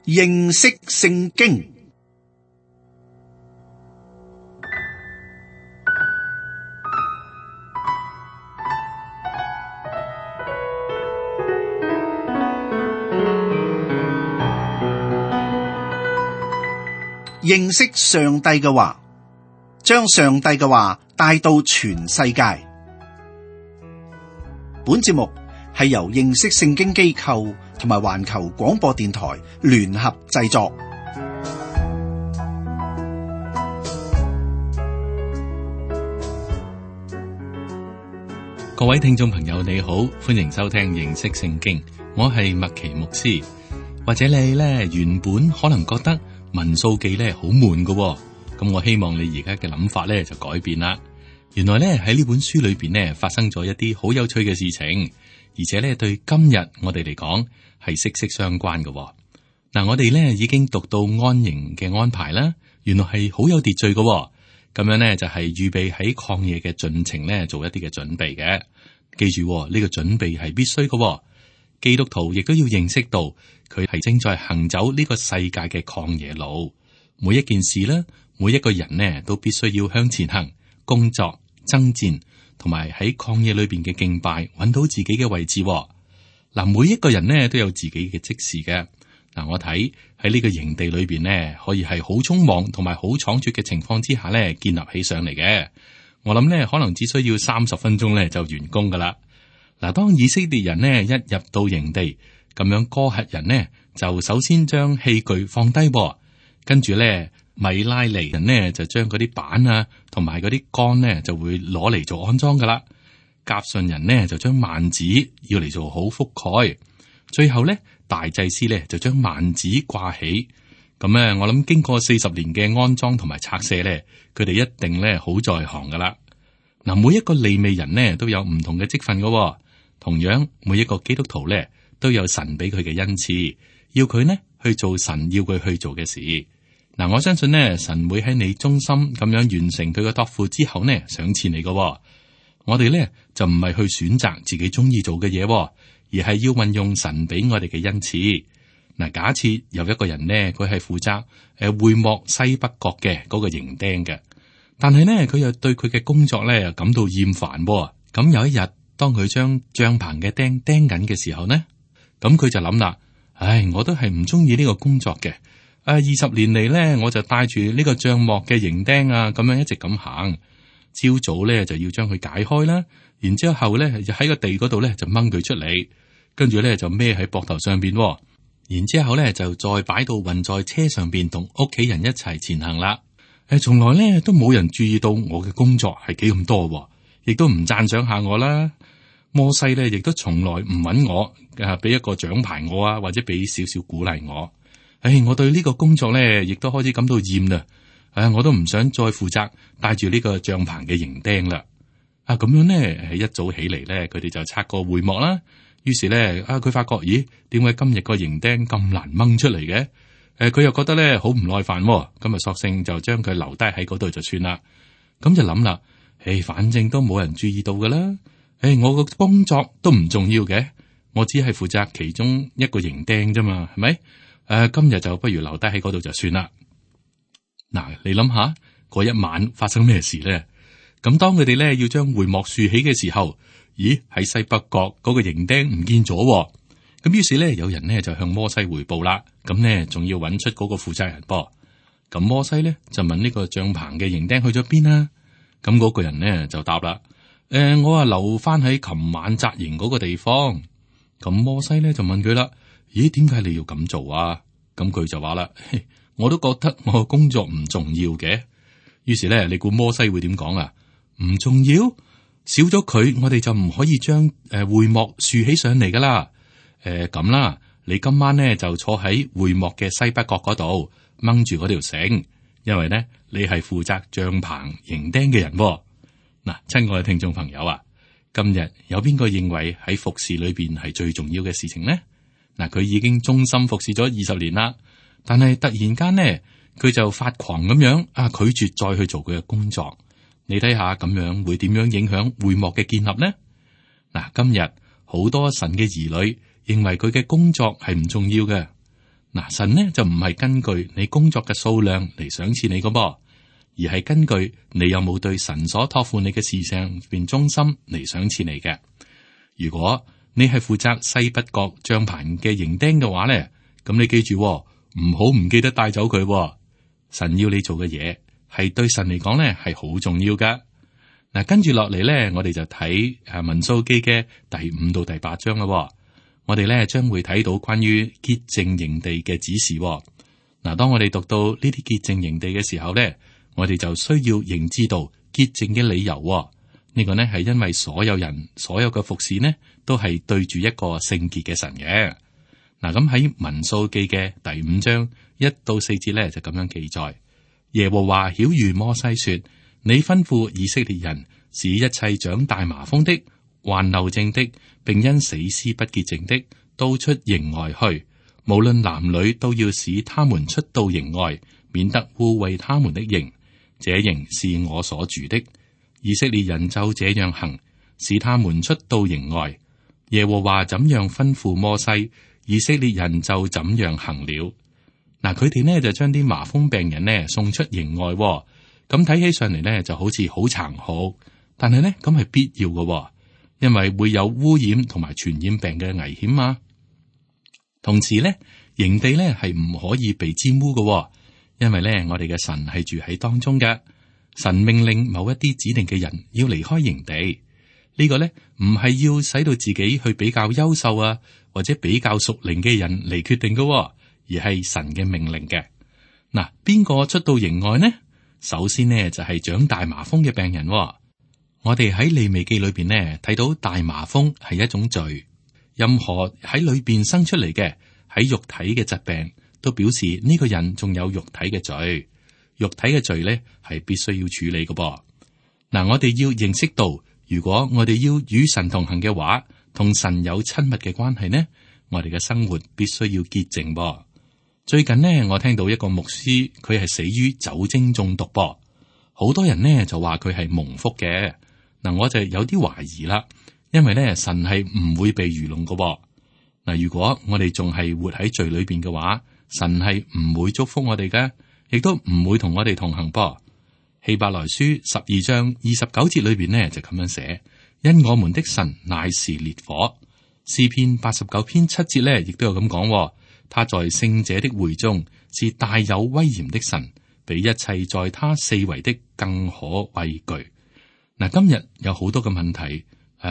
認識聖經。認識上帝嘅話，將上帝嘅話帶到全世界。本節目係由認識聖經機構同埋環球廣播電台聯合製作。各位聽眾朋友你好，歡迎收聽認識聖經，我係麥奇牧師。或者你呢原本可能覺得民數記呢好悶㗎，咁我希望你而家嘅諗法呢就改變啦。原來呢喺呢本書裏邊呢發生咗一啲好有趣嘅事情，而且呢對今日我哋嚟講係息息相關嘅。嗱，我哋呢已經讀到安營嘅安排啦，原來係好有秩序嘅。咁樣呢就係預備喺曠野嘅進程呢做一啲嘅準備嘅。記住呢個準備係必須嘅。基督徒亦都要認識到佢係正在行走呢個世界嘅曠野路。每一件事呢，每一個人呢都必須要向前行，工作、爭戰，同埋喺曠野裏邊嘅敬拜，揾到自己嘅位置。嗱，每一個人呢都有自己嘅職事嘅。嗱，我睇喺呢個營地裏邊呢，可以係好匆忙同埋好倉促嘅情況之下呢建立起上嚟嘅。我諗呢可能只需要30分鐘呢就完工噶啦。嗱，當以色列人呢一入到營地，咁樣哥轄人呢就首先將器具放低，跟住呢米拉尼人呢就將嗰啲板啊同埋嗰啲杆呢就會攞嚟做安裝噶啦。革順人呢就將幔子要嚟做好覆蓋，最後呢大祭司呢就將幔子掛起。咁呢我諗經過40年嘅安裝同埋拆卸呢，佢哋一定呢好在行噶啦。嗱，每一個利未人呢都有唔同嘅職份噶。同樣，每一個基督徒咧都有神俾佢嘅恩賜，要佢呢去做神要佢去做嘅事。嗱，我相信呢，神會喺你忠心咁樣完成佢嘅託付之後呢，賞賜你嘅。我哋呢就唔係去選擇自己中意做嘅嘢，而係要運用神俾我哋嘅恩賜。嗱，假設有一個人呢，佢係負責會幕西北角嘅嗰個營釘嘅，但係呢，佢又對佢嘅工作呢感到厭煩。咁有一日，當佢將帳篷嘅釘釘緊嘅時候呢，咁佢就諗啦，我都係唔中意呢個工作嘅。20年嚟呢，我就帶住呢個帳幕嘅營釘啊，咁樣一直咁行。朝早呢就要將佢解開啦，然之後呢就喺個地嗰度呢就掹佢出嚟，跟住呢就孭喺膊頭上邊，然之後呢就再擺到運在車上邊，同屋企人一齊前行啦。從來呢都冇人注意到我嘅工作係幾咁多，亦都唔讚賞下我啦。摩西咧，亦都從來唔揾我，俾一個獎牌我啊，或者俾少少鼓勵我。我對呢個工作咧，亦都開始感到厭啦。我都唔想再負責帶住呢個帳篷嘅營釘啦。咁樣呢，一早起嚟咧，佢哋就拆個會幕啦。於是咧，佢發覺，咦，點解今日個營釘咁難掹出嚟嘅？佢又覺得咧好唔耐煩，咁啊，索性就將佢留低喺嗰度就算啦。咁就諗啦，反正都冇人注意到噶啦。我個工作都唔重要嘅，我只係負責其中一個營釘啫嘛，係咪？今日就不如留低喺嗰度就算啦。嗱，你諗下嗰一晚發生咩事咧？咁當佢哋咧要將會幕豎起嘅時候，咦，喺西北角嗰個營釘唔見咗。咁於是咧有人呢就向摩西匯報啦。咁呢仲要揾出嗰個負責人噃。咁摩西咧就問呢個帳篷嘅營釘去咗邊啊？咁嗰個人呢就答啦。我啊留翻喺琴晚紮營嗰個地方。咁摩西咧就問佢啦，咦，點解你要咁做啊？咁佢就話啦，我都覺得我工作唔重要嘅。於是咧，你估摩西會點講啊？唔重要，少咗佢，我哋就唔可以將會幕豎起上嚟噶啦。咁啦，你今晚咧就坐喺會幕嘅西北角嗰度掹住嗰條繩，因為咧你係負責帳篷營釘嘅人。嗱，親愛嘅聽眾朋友啊，今日有邊個認為喺服侍裏邊係最重要嘅事情呢？嗱，佢已經忠心服侍咗20年啦，但係突然間呢，佢就發狂咁樣拒絕再去做佢嘅工作。你睇下咁樣會點樣影響會幕嘅建立呢？嗱，今日好多神嘅兒女認為佢嘅工作係唔重要嘅。嗱，神呢就唔係根據你工作嘅數量嚟賞賜你噶噃，而係根據你有冇對神所託付你嘅事上邊忠心嚟賞賜你嘅。如果你係負責西北角帳棚嘅營釘嘅話咧，咁你記住唔好唔記得帶走佢。神要你做嘅嘢係對神嚟講咧係好重要噶。嗱，跟住落嚟咧，我哋就睇民數記嘅第5到第8章啦。我哋咧將會睇到關於潔淨營地嘅指示。嗱，當我哋讀到呢啲潔淨營地嘅時候咧，我哋就需要認知到潔淨嘅理由。呢個呢係因為所有人所有嘅服侍呢都係對住一個聖潔嘅神嘅。嗱，咁喺民數記嘅第5章1到4節咧就咁樣記載：耶和華曉諭摩西說，你吩咐以色列人使一切長大麻風的、患漏症的，並因死屍不潔淨的，都出營外去，無論男女，都要使他們出到營外，免得污穢他們的營。這營是我所住的。以色列人就這樣行，使他們出到營外。耶和華怎樣吩咐摩西，以色列人就怎樣行了。嗱，佢哋呢就將啲麻風病人呢送出營外。咁睇起上嚟呢就好似好殘酷，但係呢咁係必要嘅，因為會有污染同埋傳染病嘅危險啊。同時呢，營地呢係唔可以被沾污嘅，因為呢我哋嘅神係住喺當中嘅。神命令某一啲指定嘅人要離開營地，呢個呢唔係要使到自己去比較優秀啊，或者比較屬靈嘅人嚟決定嘅，而係神嘅命令嘅。嗱，邊個出到營外呢？首先呢就係長大麻風嘅病人。我哋喺利未記裏邊呢睇到大麻風係一種罪，任何喺裏邊生出嚟嘅喺肉體嘅疾病，都表示呢個人仲有肉體嘅罪。肉體嘅罪咧係必須要處理嘅噃。嗱，我哋要認識到，如果我哋要與神同行嘅話，同神有親密嘅關係呢，我哋嘅生活必須要潔淨噃。最近呢，我聽到一個牧師，佢係死於酒精中毒噃。好多人呢就話佢係蒙福嘅。嗱，我就有啲懷疑啦，因為咧神係唔會被愚弄嘅噃。嗱，如果我哋仲係活喺罪裏邊嘅話，神係唔會祝福我哋嘅。亦都唔會同我哋同行噃。希伯來書12章29節裏邊呢就咁樣寫：因我們的神乃是烈火。詩篇89篇7節呢亦都有咁講：他在聖者的會中是大有威嚴的神，比一切在他四圍的更可畏懼。嗱，今日有好多嘅問題，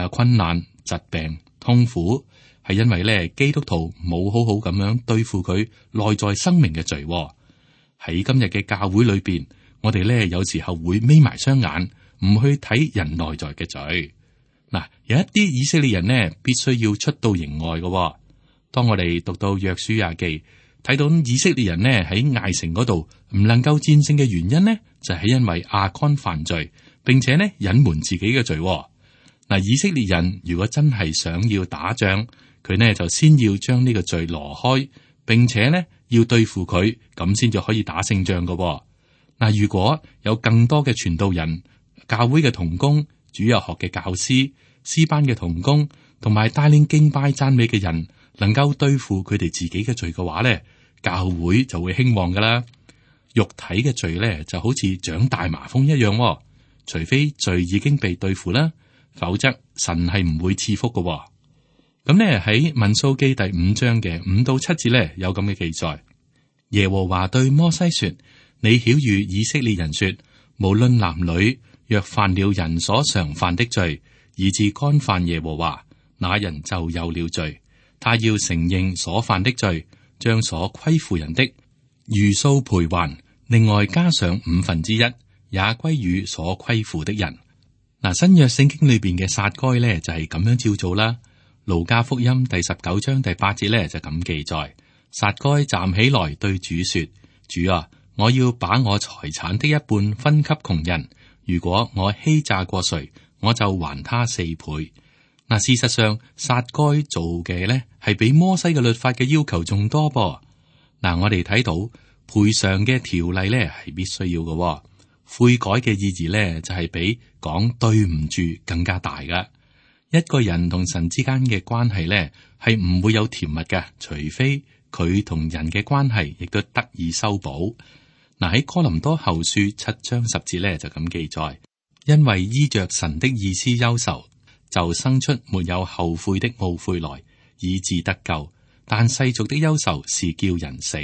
困難、疾病、痛苦，係因為咧基督徒冇好好咁樣對付佢內在生命嘅罪。喺今日嘅教會裏邊，我哋咧有時候會眯埋雙眼，唔去睇人內在嘅罪。嗱，有一啲以色列人呢，必須要出到營外嘅。當我哋讀到約書亞記，睇到以色列人呢喺艾城嗰度唔能夠戰勝嘅原因呢，就係因為亞干犯罪，並且呢隱瞞自己嘅罪。嗱，以色列人如果真係想要打仗，佢呢就先要將呢個罪挪開，並且呢要對付佢，咁先至可以打勝仗嘅。嗱，如果有更多嘅傳道人、教會嘅同工、主日學嘅教師、詩班嘅同工，同埋帶領敬拜讚美嘅人，能夠對付佢哋自己嘅罪嘅話咧，教會就會興旺噶啦。肉體嘅罪咧就好似長大麻風一樣，除非罪已經被對付啦，否則神係唔會賜福嘅。咁呢，喺民數記第5章嘅5到7節咧有咁嘅記載。耶和華對摩西說：你曉諭以色列人說，無論男女，若犯了人所常犯的罪，以致干犯耶和華，那人就有了罪。他要承認所犯的罪，將所虧負人的如數賠還，另外加上1/5，也歸於所虧負的人。嗱，新約聖經裏邊嘅撒該咧就係咁樣照做啦。路加福音第19章第8節咧就咁記載：撒該站起來對主說：主啊，我要把我財產的一半分給窮人。如果我欺詐過誰，我就還他4倍。嗱，事實上撒該做嘅呢係比摩西嘅律法嘅要求仲多噃。嗱，我哋睇到賠償嘅條例呢係必須要嘅，悔改嘅意義呢就係比講對唔住更加大噶。一個人同神之間嘅關係呢係唔會有甜蜜嘅，除非佢同人嘅關係亦都得以修補。嗱，喺哥林多後書7章10節咧就咁記載，因為依着神的意思憂愁，就生出沒有後悔的懊悔來，以致得救。但世俗的憂愁是叫人死。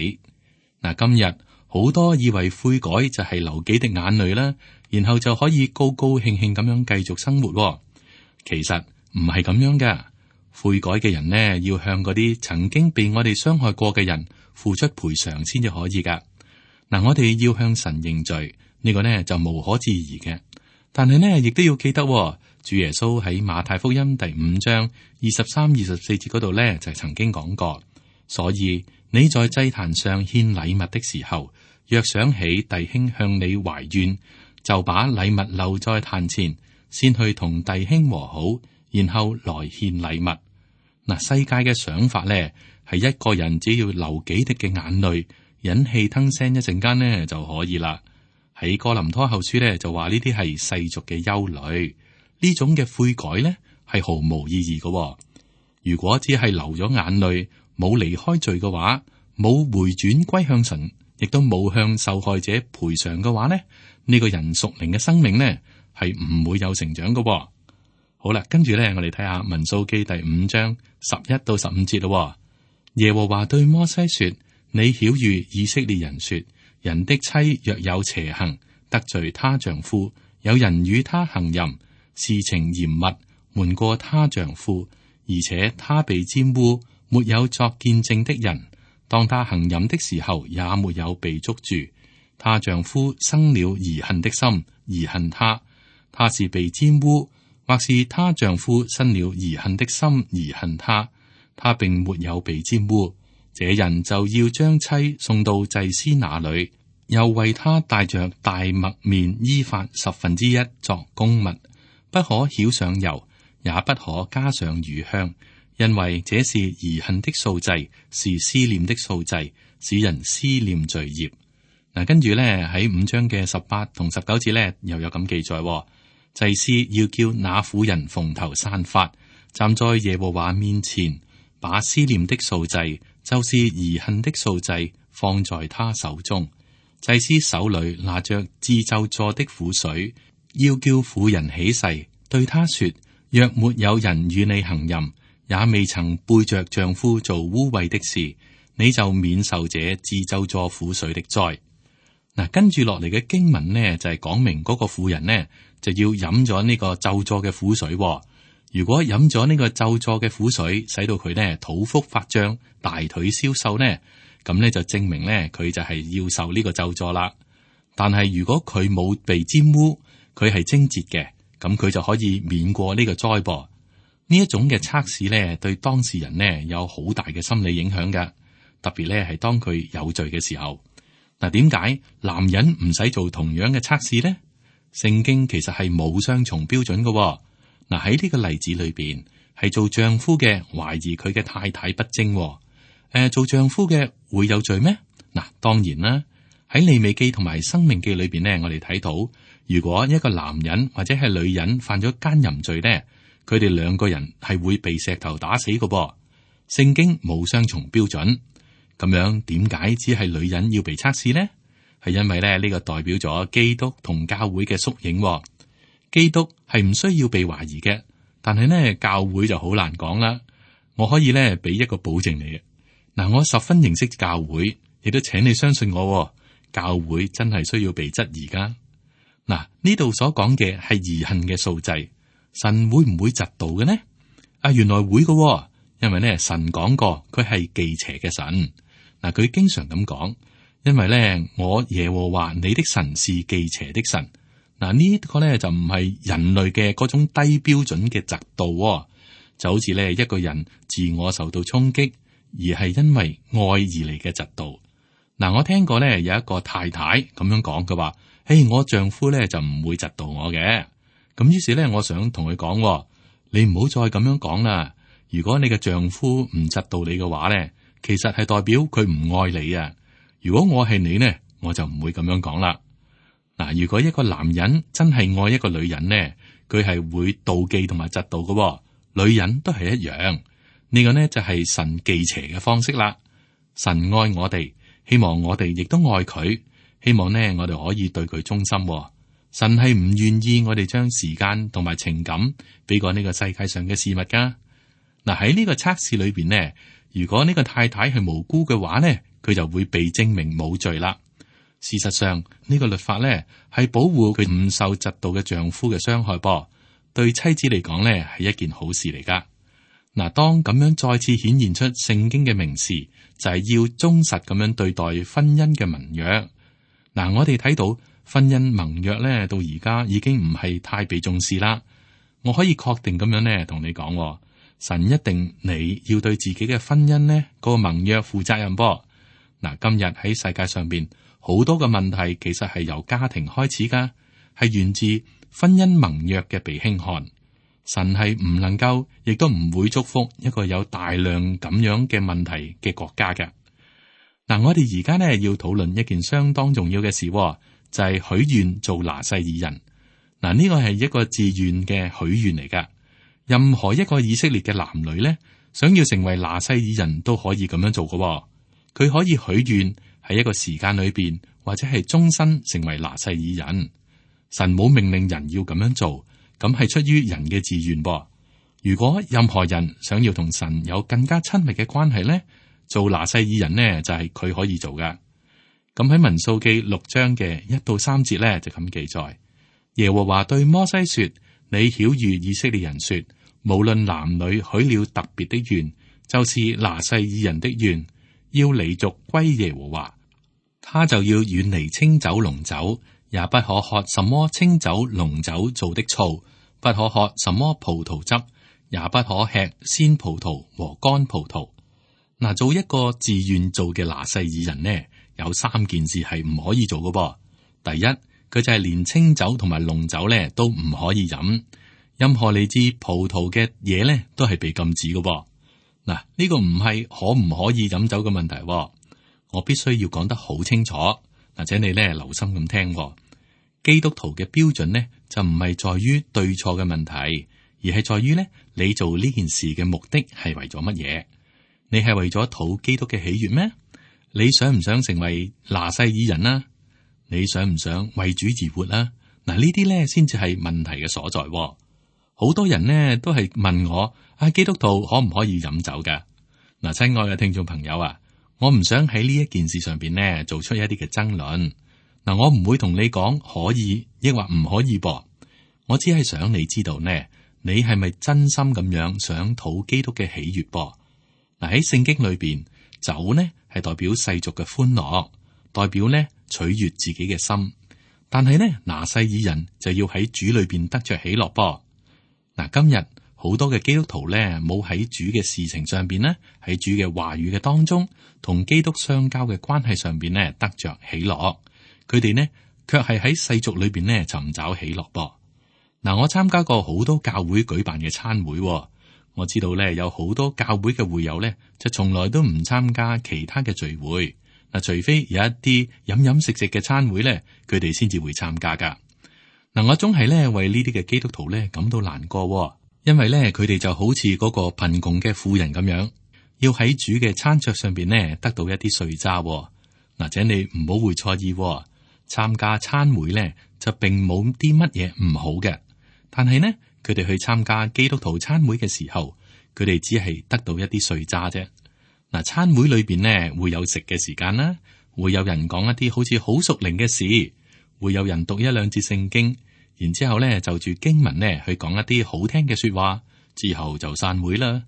嗱，今日好多以為悔改就係流幾滴眼淚啦，然後就可以高高興興咁樣繼續生活。其實唔係咁樣噶。悔改嘅人呢，要向嗰啲曾經被我哋傷害過嘅人付出賠償先至可以噶。嗱，我哋要向神認罪，呢個呢就無可置疑嘅。但係呢，亦都要記得，主耶穌喺馬太福音第5章23、24節嗰度呢，就曾經講過，所以你在祭壇上獻禮物的時候，若想起弟兄向你懷怨，就把禮物留在壇前，先去同弟兄和好，然後來獻禮物。嗱，世界嘅想法呢，係一個人只要流幾滴嘅眼淚，忍氣吞聲一陣間呢就可以啦。喺哥林多後書呢，就話呢啲係世俗嘅憂慮，呢種嘅悔改呢係毫無意義嘅。如果只係流咗眼淚，冇離開罪嘅話，冇回轉歸向神，亦都冇向受害者賠償嘅話呢，呢個人屬靈嘅生命呢係唔會有成長嘅。好啦，跟住呢，我哋睇下民數記第5章11到15節咯。耶和華對摩西說：你曉諭以色列人說，人的妻若有邪行，得罪她丈夫，有人與她行淫，事情嚴密，瞞過她丈夫，而且她被玷污，沒有作見證的人，當她行淫的時候，也沒有被捉住，她丈夫生了疑恨的心，疑恨她，她是被玷污，或是她丈夫生了疑恨的心，疑恨她，她並沒有被玷污，這人就要將妻送到祭司那裏，又為她帶着大麥麵伊法1/10作供物，不可澆上油，也不可加上乳香，因為這是疑恨的素祭，是思念的素祭，使人思念罪孽。嗱，跟住咧喺5章嘅18同19節咧，又有咁記載，祭司要叫那婦人蓬頭散髮，站在耶和華面前，把思念的素祭，就是疑恨的素祭，放在他手中。祭司手裏拿着致咒詛的苦水，要叫婦人起誓，對他說：若沒有人與你行淫，也未曾背着丈夫做污穢的事，你就免受這致咒詛苦水的災。嗱，跟住落嚟嘅經文呢，就係講明嗰個婦人呢，就要飲咗呢個咒詛嘅苦水。如果飲咗呢個咒詛嘅苦水，使到佢呢肚腹發脹、大腿消瘦呢，咁呢就證明呢佢就係要受呢個咒詛啦。但係如果佢冇被沾污，佢係貞潔嘅，咁佢就可以免過呢個災噃。呢一種嘅測試呢，對當事人呢有好大嘅心理影響㗎，特別呢係當佢有罪嘅時候。嗱，點解男人唔使做同樣嘅測試呢？聖經其實係冇雙重標準嘅。嗱，喺呢個例子裏邊，係做丈夫嘅懷疑佢嘅太太不貞，做丈夫嘅會有罪咩？嗱，當然啦。喺利未記同埋申命記裏邊呢，我哋睇到，如果一個男人或者係女人犯咗奸淫罪呢，佢哋兩個人係會被石頭打死嘅噃。聖經冇雙重標準。咁樣點解只係女人要被測試呢？係因為咧呢個代表咗基督同教會嘅縮影。基督係唔需要被懷疑嘅，但係呢教會就好難講啦。我可以呢俾一個保證你嘅。嗱，我十分認識教會，亦都請你相信我，教會真係需要被質疑噶。嗱，呢度所講嘅係疑恨嘅素祭，神會唔會嫉妒嘅呢？原來會嘅，因為呢神講過佢係忌邪嘅神。嗱，佢經常咁講，因為咧，我耶和華你的神是忌邪的神。嗱，呢個咧就唔係人類嘅嗰種低標準嘅嫉妒，就好似咧一個人自我受到衝擊，而係因為愛而嚟嘅嫉妒。嗱，我聽過咧有一個太太咁樣講，佢話：我丈夫咧就唔會嫉妒我嘅。咁於是咧，我想同佢講，你唔好再咁樣講啦。如果你嘅丈夫唔嫉妒你嘅話咧，其實係代表佢唔愛你啊！如果我係你呢，我就唔會咁樣講啦。嗱，如果一個男人真係愛一個女人呢，佢係會妒忌同埋嫉妒嘅。女人都係一樣，呢個呢就係神忌邪嘅方式啦。神愛我哋，希望我哋亦都愛佢，希望呢我哋可以對佢忠心。神係唔願意我哋將時間同埋情感俾過呢個世界上嘅事物噶。嗱，喺呢個測試裏邊呢，如果呢個太太係無辜嘅話呢，佢就會被證明冇罪啦。事實上，呢個律法呢係保護佢唔受嫉妒嘅丈夫嘅傷害噃，對妻子嚟講呢係一件好事嚟噶。嗱，當咁樣再次顯現出聖經嘅明示，就係要忠實咁樣對待婚姻嘅盟約。嗱，我哋睇到婚姻盟約呢，到而家已經唔係太被重視啦。我可以確定咁樣呢同你講，神一定你要對自己嘅婚姻呢個盟約負責任噃。嗱，今日喺世界上邊好多嘅問題，其實係由家庭開始噶，係源自婚姻盟約嘅被輕看。神係唔能夠，亦都唔會祝福一個有大量咁樣嘅問題嘅國家嘅。嗱，我哋而家呢要討論一件相當重要嘅事，就係許願做拿細耳人。嗱，呢個係一個自願嘅許願嚟噶。任何一個以色列嘅男女呢，想要成為拿細耳人都可以咁樣做嘅。佢可以許願喺一個時間裏邊，或者係終身成為拿細耳人。神冇命令人要咁樣做。咁係出於人嘅自願噃。如果任何人想要同神有更加親密嘅關係呢，做拿細耳人呢就係佢可以做噶。咁喺民數記6章嘅1到3節呢就咁記載：耶和華對摩西說，你曉諭以色列人說，無論男女許了特別的願，就是拿細耳人的願，要離族歸耶和華，他就要遠離清酒濃酒，也不可喝什麼清酒濃酒做的醋，不可喝什麼葡萄汁，也不可吃鮮葡萄和乾葡萄。嗱，做一個自願做嘅拿細耳人呢，有3件事係唔可以做嘅噃。第一，佢就係連清酒同埋濃酒呢都唔可以飲，任何嚟自葡萄嘅嘢呢都係被禁止嘅噃。嗱，呢個唔係可唔可以飲酒嘅問題，我必須要講得好清楚。或者你呢留心咁聽，基督徒嘅標準呢就唔係在於對錯嘅問題，而係在於呢你做呢件事嘅目的係為咗乜嘢？你係為咗討基督嘅喜悅咩？你想唔想成為拿細耳人啊？你想唔想為主而活啊？嗱，呢啲呢先至係問題嘅所在。好多人呢都係問我：基督徒可唔可以飲酒噶？嗱，親愛嘅聽眾朋友啊，我唔想喺呢一件事上邊呢做出一啲嘅爭論。嗱，我唔會同你講可以抑或唔可以噃。我只係想你知道呢，你係咪真心咁樣想討基督嘅喜悅噃？嗱，喺聖經裏邊，酒呢係代表世俗嘅歡樂，代表呢取悅自己嘅心。但係呢，拿細耳人就要喺主裏邊得着喜樂噃。嗱，今日好多嘅基督徒呢，冇喺主嘅事情上邊呢，喺主嘅話語嘅當中，同基督相交嘅關係上邊呢，得着喜樂。佢哋呢，卻係喺世俗裏邊呢尋找喜樂噃。嗱，我參加過好多教會舉辦嘅餐會，我知道呢，有好多教會嘅會友呢，就從來都唔參加其他嘅聚會。嗱，除非有一啲飲食嘅餐會呢，佢哋先至會參加噶。嗱，我總係呢為呢啲嘅基督徒呢感到難過，因為呢，佢哋就好似嗰個貧窮嘅婦人咁樣，要喺主嘅餐桌上邊呢得到一啲碎渣。嗱，請你唔好會錯意，參加餐會呢就並冇啲乜嘢唔好嘅，但係呢，佢哋去參加基督徒餐會嘅時候，佢哋只係得到一啲碎渣啫。嗱，餐會裏邊呢會有食嘅時間啦，會有人講一啲好似好屬靈嘅事，會有人讀1-2節聖經，然之後呢就住經文呢去講一啲好聽嘅說話，之後就散會啦。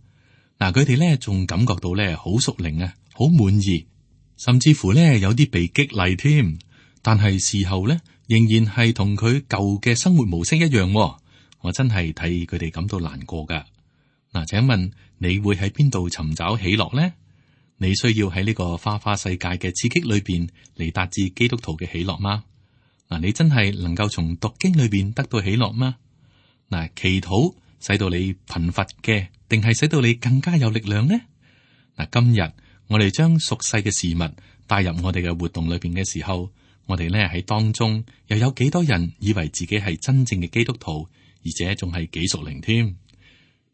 嗱，佢哋呢仲感覺到呢好屬靈啊，好滿意，甚至乎呢有啲被激勵添。但係事後呢，仍然係同佢舊嘅生活模式一樣。我真係替佢哋感到難過噶。嗱，請問你會喺邊度尋找喜樂呢？你需要喺呢個花花世界嘅刺激裏邊嚟達至基督徒嘅喜樂嗎？嗱，你真係能夠從讀經裏邊得到喜樂嗎？嗱，祈禱使到你貧乏嘅，定係使到你更加有力量呢？嗱，今日我哋將屬世嘅事物帶入我哋嘅活動裏邊嘅時候，我哋呢喺當中又有幾多人以為自己係真正嘅基督徒，而且仲係幾屬靈添？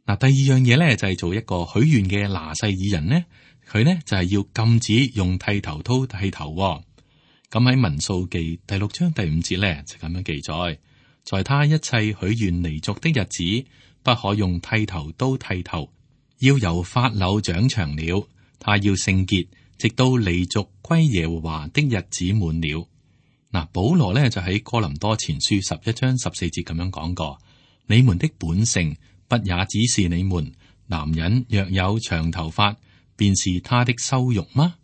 嗱，第二樣嘢呢，就係做一個許願嘅拿細耳人呢，佢呢就係要禁止用剃頭刀剃頭。咁喺民數記第6章第5節呢，就咁樣記載，在他一切許願離俗的日子，不可用剃頭刀剃頭，要由髮綹長長了。他要聖潔，直到離俗歸耶和華的日子滿了。嗱，保羅呢就喺哥林多前書11章14節咁樣講過：你們的本性不也指示你們，男人若有長頭髮，便是他的羞辱嗎？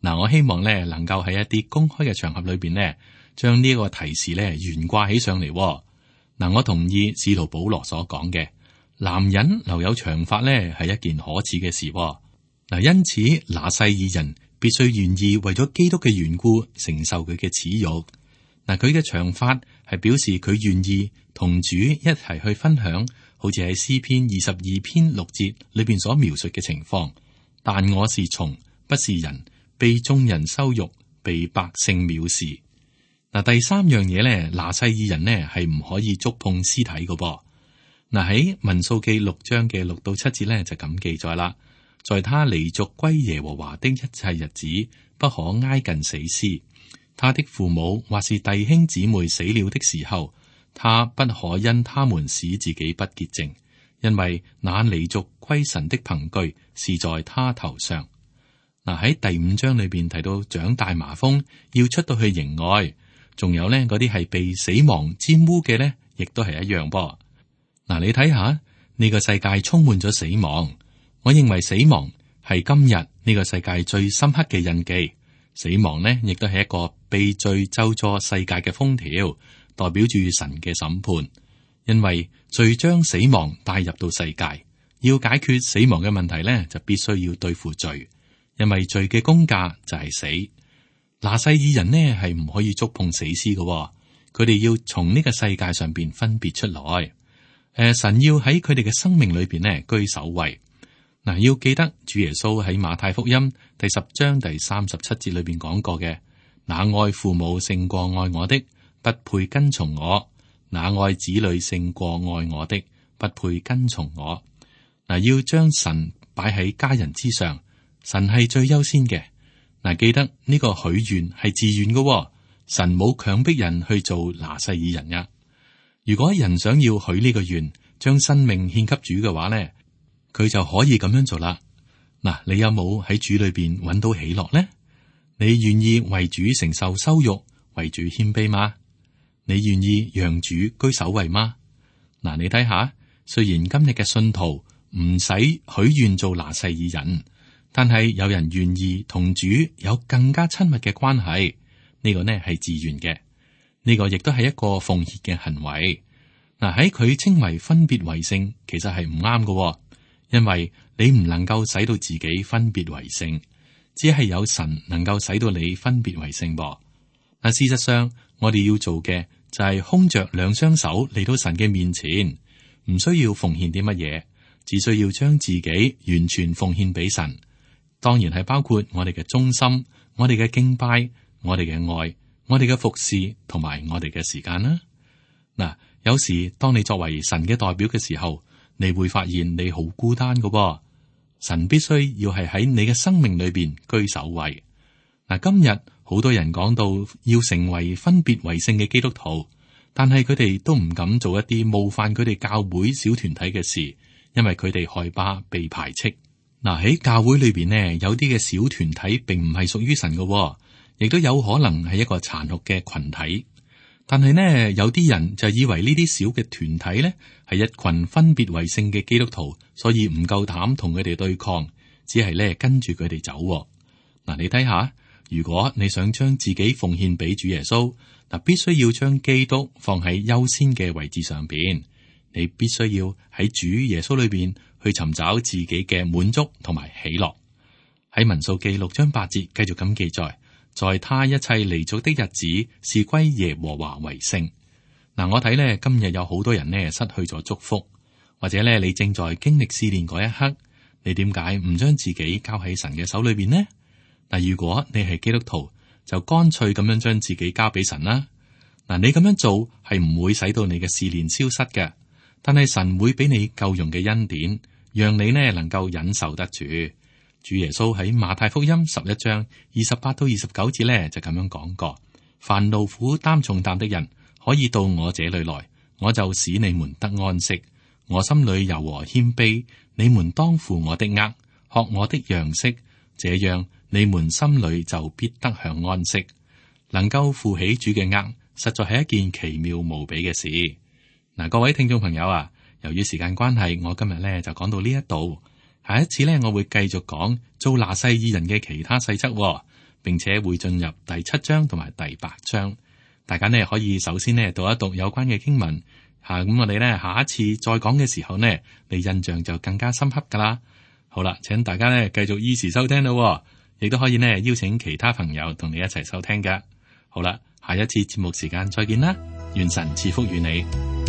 嗱，我希望呢能夠喺一啲公開嘅場合裏邊呢，將呢個提示呢懸掛起上嚟。嗱，我同意使徒保羅所講嘅，男人留有長髮呢係一件可恥嘅事。嗱，因此拿細耳人必須願意為咗基督嘅緣故承受佢嘅恥辱。嗱，佢嘅長髮係表示佢願意同主一齊去分享，好似喺詩篇22篇6節裏邊所描述嘅情況。但我是蟲，不是人，被眾人羞辱，被百姓藐視。嗱，第三樣嘢咧，拿細耳人呢係唔可以觸碰屍體嘅噃。嗱，喺民數記6章嘅6到7節咧就咁記載啦。在他離俗歸耶和華的一切日子，不可挨近死屍。他的父母或是弟兄姊妹死了的時候，他不可因他們使自己不潔淨，因為那離俗歸神的憑據是在他頭上。嗱，喺第5章裏邊提到長大麻風要出到去營外，仲有呢嗰啲係被死亡沾污嘅呢，亦都係一樣噃。嗱，你睇下呢個世界充滿咗死亡。我認為死亡係今日呢個世界最深刻嘅印記。死亡呢，亦都係一個被罪咒詛世界嘅封條，代表住神嘅審判。因為罪將死亡帶入到世界，要解決死亡嘅問題呢，就必須要對付罪。因為罪嘅工價就係死。拿細耳人呢係唔可以觸碰死屍嘅，佢哋要從呢個世界上邊分別出來。神要喺佢哋嘅生命裏邊呢居首位。嗱，要記得主耶穌喺馬太福音第10章第37節裏邊講過嘅：那愛父母勝過愛我的，不配跟從我；那愛子女勝過愛我的，不配跟從我。嗱，要將神擺喺家人之上，神係最優先嘅。嗱，記得呢個許願係自願嘅，神冇強迫人去做拿細耳人呀。如果人想要許呢個願，將生命獻給主嘅話呢，佢就可以咁樣做啦。嗱，你有冇喺主裏邊揾到喜樂呢？你願意為主承受羞辱，為主謙卑嗎？你願意讓主居首位嗎？嗱，你睇下，雖然今日嘅信徒唔使許願做拿細耳人，但係有人願意同主有更加親密嘅關係，呢個呢係自願嘅，呢個亦都係一個奉獻嘅行為。嗱，喺佢稱為分別為聖，其實係唔啱嘅。因為你唔能夠使到自己分別為聖，只係有神能夠使到你分別為聖噃。嗱，事實上我哋要做嘅就係空着兩雙手嚟到神嘅面前，唔需要奉獻啲乜嘢，只需要將自己完全奉獻俾神。當然係包括我哋嘅忠心、我哋嘅敬拜、我哋嘅愛、我哋嘅服侍同埋我哋嘅時間啦。嗱，有時當你作為神嘅代表嘅時候，你會發現你好孤單㗎噃，神必須要係喺你嘅生命裏邊居首位。嗱，今日好多人講到要成為分別為聖嘅基督徒，但係佢哋都唔敢做一啲冒犯佢哋教會小團體嘅事，因為佢哋害怕被排斥。嗱，喺教會裏邊呢，有啲嘅小團體並唔係屬於神㗎，亦都有可能係一個殘酷嘅群體。但係呢，有啲人就以為呢啲小嘅團體呢係一群分別為聖嘅基督徒，所以唔夠膽同佢哋對抗，只係呢跟住佢哋走。嗱，你睇下，如果你想將自己奉獻俾主耶穌，嗱，必須要將基督放喺優先嘅位置上邊，你必須要喺主耶穌裏邊去尋找自己嘅滿足同埋喜樂。喺民數記6章8節繼續咁記載。在他一切離俗的日子，是歸耶和華為聖。嗱，我睇呢，今日有好多人呢失去咗祝福，或者呢你正在經歷試煉嗰一刻，你點解唔將自己交喺神嘅手裏邊呢？嗱，如果你係基督徒，就乾脆咁樣將自己交俾神啦。嗱，你咁樣做係唔會使到你嘅試煉消失嘅，但係神會俾你夠用嘅恩典，讓你呢能夠忍受得住。主耶穌喺馬太福音11章28到29節呢，就咁樣講過：凡勞苦擔重擔的人，可以到我這裏來，我就使你們得安息。我心裏柔和謙卑，你們當負我的軛，學我的樣式，這樣你們心裏就必得享安息。能夠負起主嘅軛，實在係一件奇妙無比嘅事。嗱，各位聽眾朋友啊，由於時間關係，我今日咧就講到呢一度。下一次咧，我會繼續講做拿細耳人嘅其他細則，並且會進入第7章同埋第8章。大家呢可以首先呢讀一讀有關嘅經文，咁我哋咧下一次再講嘅時候呢，你印象就更加深刻噶啦。好啦，請大家呢繼續依時收聽咯，亦都可以呢邀請其他朋友同你一齊收聽噶。好啦，下一次節目時間再見啦，願神賜福與你。